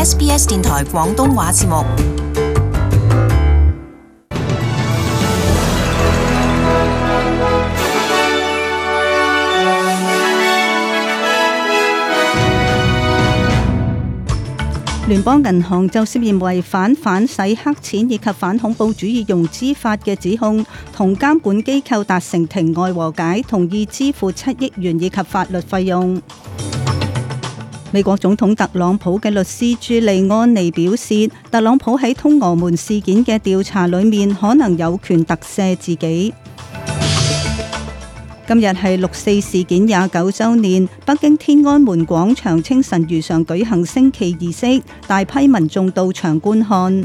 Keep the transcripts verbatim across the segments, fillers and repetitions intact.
S B S 電台廣東話節目。聯邦銀行就涉嫌違反反洗黑錢以及反恐怖主義融資法嘅指控，同監管機構達成庭外和解，同意支付七億元以及法律費用。美國總統特朗普嘅律師朱利安尼表示，特朗普喺通俄門事件嘅調查裏面可能有權特赦自己。今日係六四事件廿九週年，北京天安門廣場清晨如常舉行升旗儀式，大批民眾到場觀看。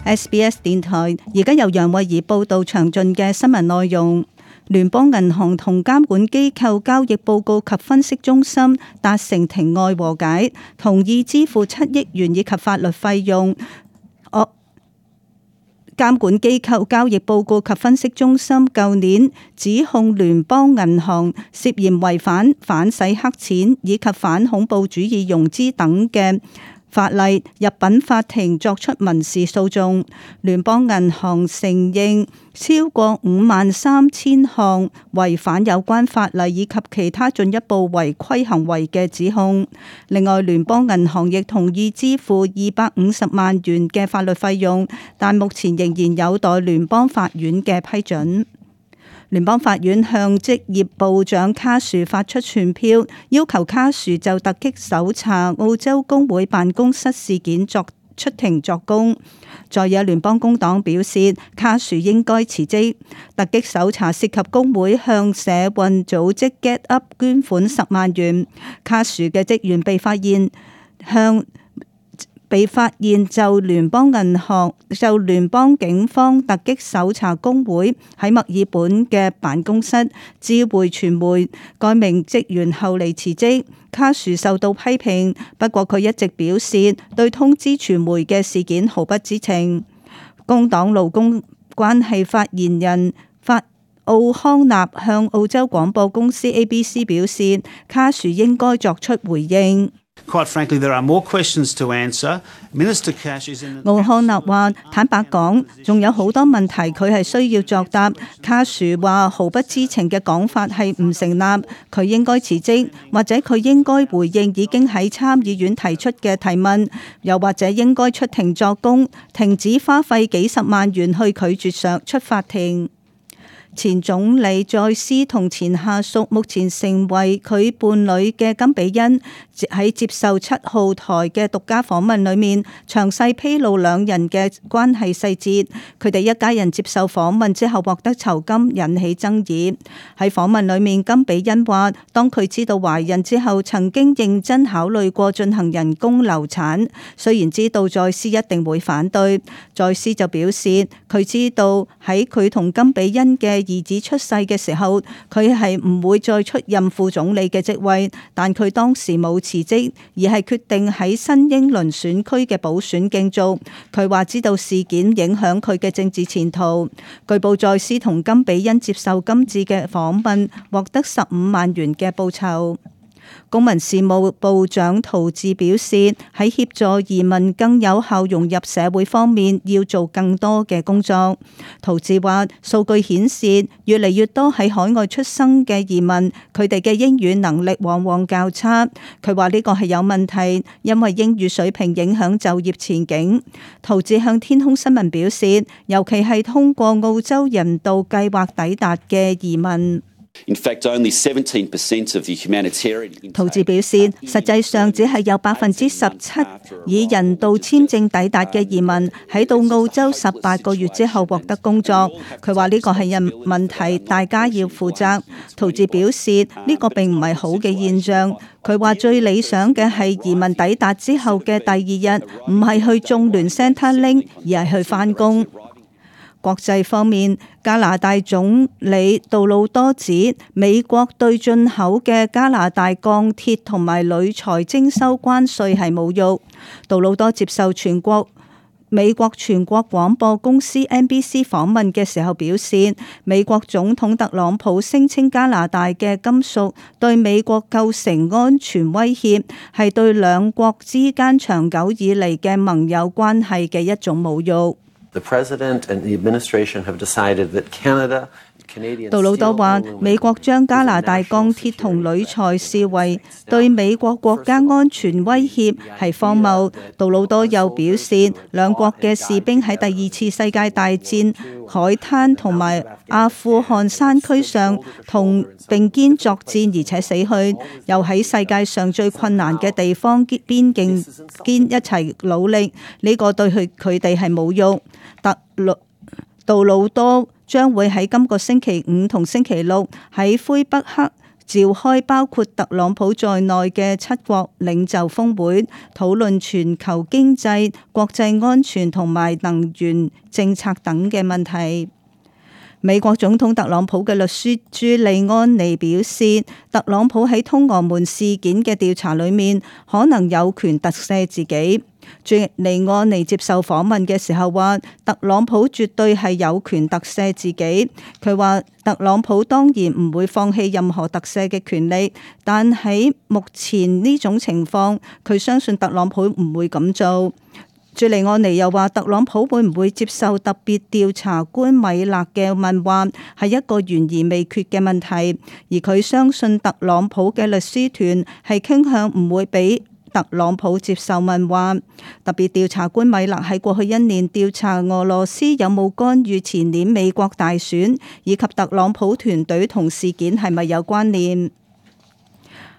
S B S 電台而家由楊慧儀報道詳盡嘅新聞內容。聯邦銀行同監管機構交易報告及分析中心達成庭外和解，同意支付七億元以及法律費用。監管機構交易報告及分析中心舊年指控聯邦銀行涉嫌違反反洗黑錢以及反恐怖主義融資等嘅法例，入稟法庭作出民事訴訟。聯邦銀行承認超過五萬三千項違反有關法例以及其他進一步違規行為嘅指控。另外，聯邦銀行亦同意支付二百五十萬元嘅法律費用，但目前仍然有待聯邦法院嘅批准。聯邦法院向職業部長卡殊發出傳票，要求卡殊就突擊搜查澳洲工會辦公室事件作出庭作供。在野聯邦工黨表示，卡殊應該辭職。突擊搜查涉及工會向社運組織 Get Up 捐款十萬元。卡殊嘅職員被發現向被發現就聯邦銀行就聯邦警方突擊搜查工會喺墨爾本嘅辦公室，知會傳媒。該名職員後嚟辭職。卡殊受到批評，不過佢一直表示對通知傳媒嘅事件毫不知情。工黨勞工關係發言人法奧康納向澳洲廣播公司 A B C 表示，卡殊應該作出回應。Quite frankly, there are more questions to answer. Minister Cash is in the... 奧康納話：坦白講，仲有好多問題佢係需要作答。卡殊話毫不知情嘅講法係唔成立，佢應該辭職，或者佢應該回應已經喺參議院提出嘅提問，又或者應該出庭作供，停止花費幾十萬元去拒絕上出法庭。前總理在斯同前下屬目前成為佢伴侶嘅金比恩喺接受七號台嘅獨家訪問裏面，詳細披露兩人嘅關係細節。佢哋一家人接受訪問之後獲得酬金，引起爭議。喺訪問裏面，金比恩話，當佢知道懷孕之後，曾經認真考慮過進行人工流產，雖然知道在斯一定會反對。在斯就表示，佢知道喺佢同金比恩嘅兒子出世嘅時候，佢係唔會再出任副總理嘅職位，但佢當時冇辭職，而係決定喺新英倫選區嘅補選競逐。佢話知道事件影響佢嘅政治前途。據報在斯同金比恩接受今次嘅訪問，獲得十五萬元嘅報酬。公民事務部長陶治表示，喺協助移民更有效融入社會方面，要做更多嘅工作。陶治話，數據顯示越嚟越多喺海外出生嘅移民，佢哋嘅英語能力往往較差。佢話呢個係有問題，因為英語水平影響就業前景。陶治向天空新聞表示，尤其係通過澳洲人道計劃抵達嘅移民。In fact, only seventeen percent of the humanitarian... 陶治表示，實際上只係有百分之十七以人道簽證抵達嘅移民喺到澳洲十八個月之後獲得工作。佢話呢個係人問題，大家要負責。陶治表示呢個並唔係好嘅現象。佢話最理想嘅係移民抵達之後嘅第二日，唔係去種聯 Centrelink，而係去返工。國際方面，加拿大總理杜魯多指美國對進口嘅加拿大鋼鐵同埋鋁材徵收關稅係侮辱。杜魯多接受全國美國全國廣播公司 N B C 訪問嘅時候表示，美國總統特朗普聲稱加拿大嘅金屬對美國構成安全威脅，係對兩國之間長久以嚟嘅盟友關係嘅一種侮辱。The president and the administration have decided that Canada杜魯多話：美國將加拿大鋼鐵同鋁材視為對美國國家安全威脅，係荒謬。杜魯多又表示，兩國嘅士兵喺第二次世界大戰海灘同埋阿富汗山區上同並肩作戰，而且死去，又喺世界上最困難嘅地方邊境間一齊努力。呢、這個對佢佢哋係侮辱。特魯杜魯多將會喺今個星期五同星期六喺魁北克召開包括特朗普在內嘅七國領袖峰會，討論全球經濟、國際安全同埋能源政策等嘅問題。美國總統特朗普嘅律師朱利安尼表示，特朗普喺通俄門事件嘅調查裏面可能有權特赦自己。朱利安尼接受訪問嘅時候話，特朗普絕對係有權特赦自己。佢話特朗普當然唔會放棄任何特赦嘅權利，但喺目前呢種情況，佢相信特朗普唔會咁做。朱利安尼又話，特朗普會唔會接受特別調查官米勒嘅問話，係一個懸而未決嘅問題，而佢相信特朗普嘅律師團係傾向唔會俾特朗普接受問話。特別調查官米勒喺過去一年調查俄羅斯有冇干預前年美國大選，以及特朗普團隊同事件係咪有關聯。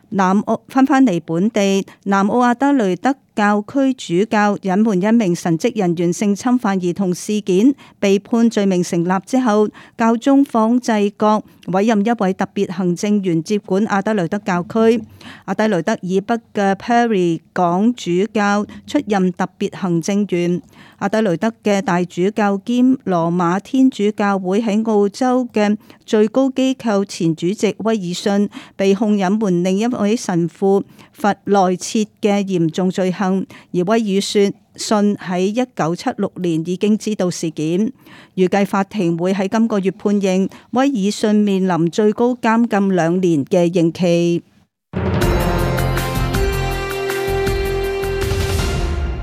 南澳翻返嚟本地，南澳阿德雷德教區主教隱瞞一名神職人員性侵犯兒童事件，被判罪名成立之後，教宗方濟各委任一位特別行政員接管阿德雷德教區。阿德雷德以北嘅 Perry 港主教出任特別行政員。阿德雷德嘅大主教兼羅馬天主教會喺澳洲嘅最高機構前主席威爾遜被控隱瞞另一位神父弗萊切嘅嚴重罪行，而威爾遜喺一九七六年已經知道事件。預計法庭會喺今個月判刑，威爾遜面臨最高監禁兩年嘅刑期。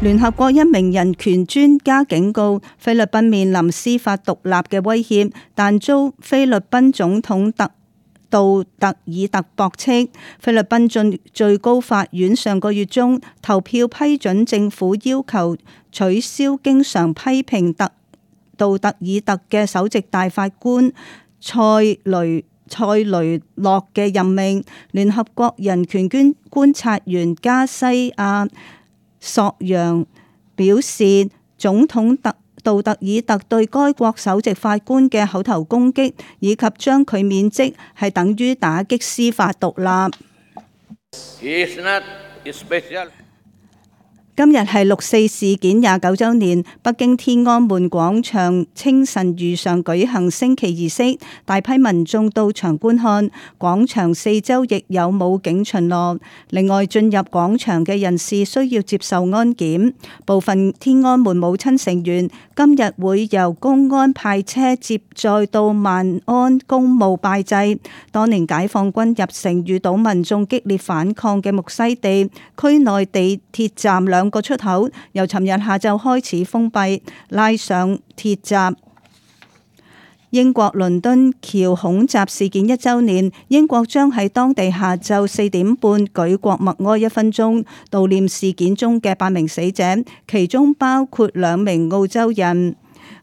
聯合國一名人權專家警告，菲律賓面臨司法獨立嘅威脅，但遭菲律賓總統特杜特爾特駁斥。菲律賓最最高法院上個月中投票批准政府要求取消經常批評特杜特爾特嘅首席大法官塞雷塞雷諾嘅任命。聯合國人權觀觀察員加西亞索揚表示，總統特杜特爾特對該國首席法官嘅口頭攻擊以及將佢免職係等於打擊司法獨立。今日係六四事件廿九週年，北京天安門廣場清晨如常舉行升旗儀式，大批民眾到場觀看，廣場四周亦有武警巡邏。另外，進入廣場嘅人士需要接受安檢。部分天安門母親成員今日會由公安派車接載到萬安公墓拜祭。當年解放軍入城遇到民眾激烈反抗嘅木樨地區內地鐵站兩個出口由尋日下晝開始封閉，拉上鐵閘。英國倫敦橋恐襲事件一週年，英國將喺當地下晝四點半舉國默哀一分鐘，悼念事件中嘅八名死者，其中包括兩名澳洲人。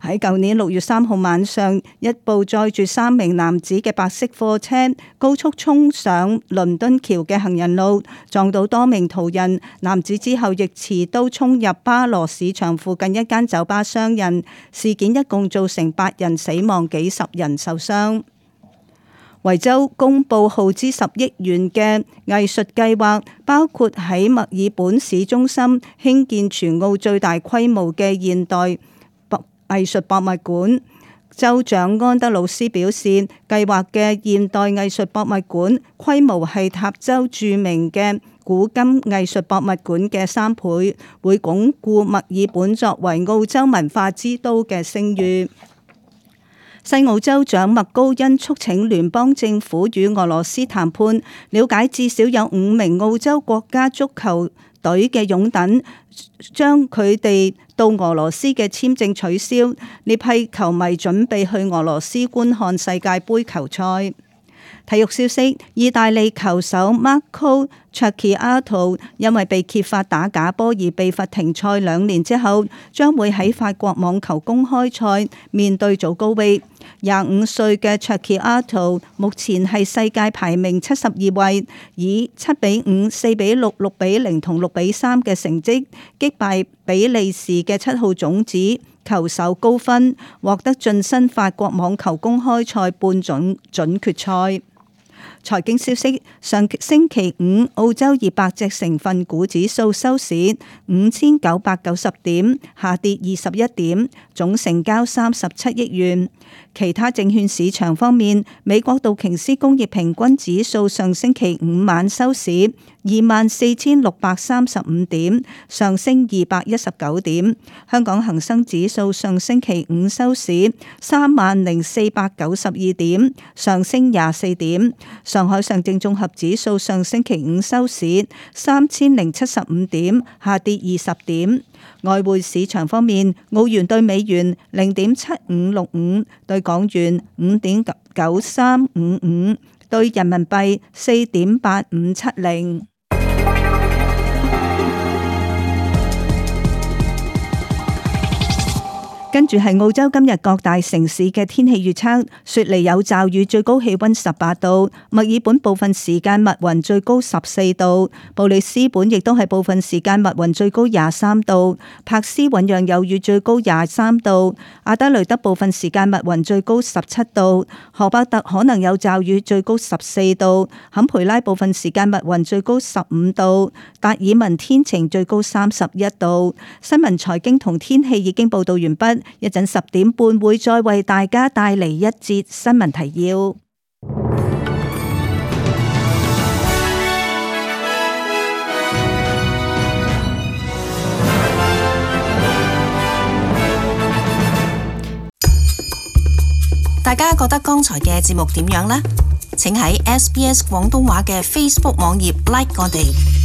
喺舊年六月三號晚上，一部載住三名男子嘅白色貨車高速衝上倫敦橋嘅行人路，撞到多名途人。男子之後亦持刀衝入巴羅市場附近一間酒吧傷人。事件一共造成八人死亡，幾十人受傷。維州公布耗資十億元嘅藝術計劃，包括喺墨爾本市中心興建全澳最大規模嘅現代藝術博物館。州長安德魯斯表示，計劃嘅現代藝術博物館規模係塔州著名嘅古今藝術博物館嘅三倍，會鞏固墨爾本作為澳洲文化之都嘅聲譽。西澳州長麥高恩促請聯邦政府與俄羅斯談判，了解至少有五名澳洲國家足球隊嘅擁躉將佢哋到俄羅斯嘅簽證取消，呢批球迷準備去俄羅斯觀看世界盃球賽。體育消息：意大利球手 Marco Cecchinato 因為被揭發打假波而被罰停賽兩年之後，將會喺法國網球公開賽面對祖高域。廿五歲嘅 Cecchinato 目前係世界排名七十二位，以七比五、四比六、六比零同六比三嘅成績擊敗比利時嘅七號種子球手高分，獲得晉身法國網球公開賽半準準決賽。財經消息：上星期五，澳洲二百隻成分股指數收市五千九百九十點，下跌二十一點，總成交三十七億元。其他證券市場方面，美國道瓊斯工業平均指數上星期五晚收市二萬四千六百三十五點，上升二百一十九點。香港恒生指數上星期五收市三萬零四百九十二點，上升廿四點。上海上證綜合指數上星期五收市三千零七十五點，下跌二十點。外匯市場方面，澳元對美元零點七五六五，對港元五點九三五五，對人民幣四點八五七零。跟住係澳洲今日各大城市嘅天氣預測：雪梨有驟雨，最高氣溫十八度；墨爾本部分時間密雲，最高十四度；布里斯本亦都係部分時間密雲，最高廿三度；柏斯醞釀有雨，最高廿三度；阿德雷德部分時間密雲，最高十七度；荷伯特可能有驟雨，最高十四度；坎培拉部分時間密雲，最高十五度；達爾文天晴，最高三十一度。新聞、財經同天氣已經報道完畢。一陣十點半會再為大家帶嚟一節新聞提要。大家覺得剛才嘅節目點樣呢？請喺 S B S 廣東話嘅 Facebook 網頁 like 我哋。